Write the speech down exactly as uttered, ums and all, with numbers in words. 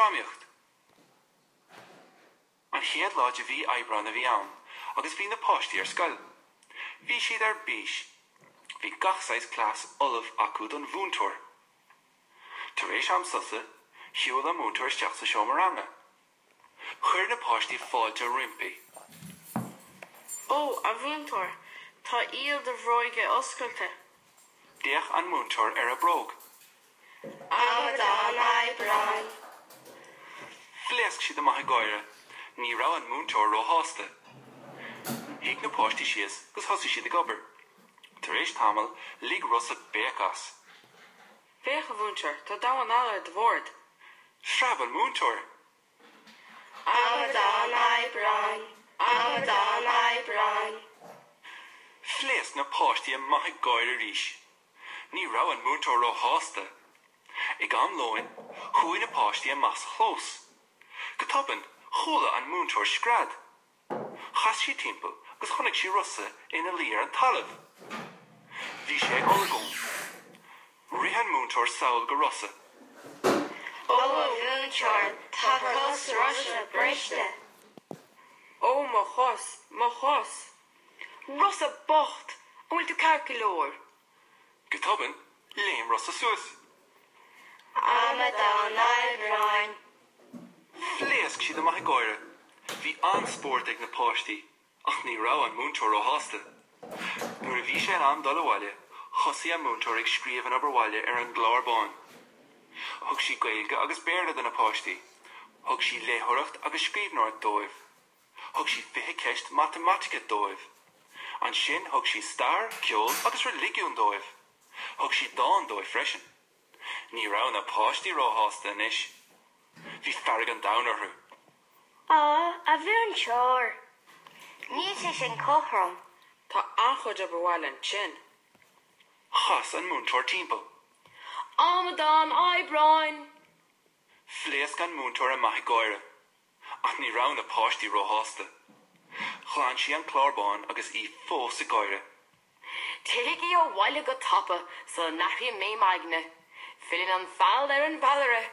Drámaíocht. An chéad lá de mhí Aibreáin a bhí ann, agus bhí na páistí ar scoil. Bhí siad ar bís. Bhí gach saghas cleas ullamh acu don mhúinteoir. Tar éis am sosa, shiúil an múinteoir isteach sa seomra ranga. Chuir na páistí fáilte roimpi. Ó, a mhúinteoir, tá iall do bhróige oscailte. D'fhéach an múinteoir ar a bróg. Amadán Aibreáin. Phléasc siad amach ag gáire, ní raibh an múinteoir róshásta. Shuigh na páistí síos agus thosaigh siad ag obair. Tar éis tamaill lig Rosa béic as. Féach a mhúinteoir, tá damhán alla ar do bhord. Phreab an múinteoir. Amadán Aibreáin. Amadán Aibreáin. Phléasc na páistí amach ag gáire arís. Ní raibh an múinteoir róshásta. Ag am lóin, chuaigh na páistí amach sa chlós. Go tobann, chuala an múinteoir scread. Chas sí timpeall agus chonaic sí Rosa ina luí ar an talamh. Bhí sé ag olagón. Rith an múinteoir sall go Rosa. Ó a mhúinteoir, tá cos Rosa briste. Ó mo chos, mo chos. Rosa bocht, an bhfuil tú ceart go leor. Go tobann, léim Rosa suas. Amadán Aibreáin. Phléasc siad amach ag gáire. Bhí an-spórt ag na páistí, ach ní raibh an múinteoir róshásta. Nuair a bhí sé in am dul abhaile, thosaigh an múinteoir ag scríobh an obair bhaile ar an gclár bán. Thug sí Gaeilge agus Béarla do na páistí. Thug sí léitheoireacht agus scríbhneoireacht dóibh. Thug sí fiche ceist matamaitice dóibh. Ansin thug sí stair, ceol agus reiligiún dóibh. Thug sí dán dóibh freisin. Ní raibh na páistí róshásta anois. Bhí fearg an domhain orthu. Á, a mhúinteoir. Níl sé sin cothrom. Tá an-chuid obair bhaile ansin. Chas an múinteoir timpeall. Amadán Aibreáin! Phléasc an múinteoir amach ag gáire, ach ní raibh na páistí róshásta. Ghlan sí an clár bán agus í fós ag gáire. Téigí abhaile go tapa sula n-athraím mé m'aigne. Filleann an feall ar an bhfeallaire.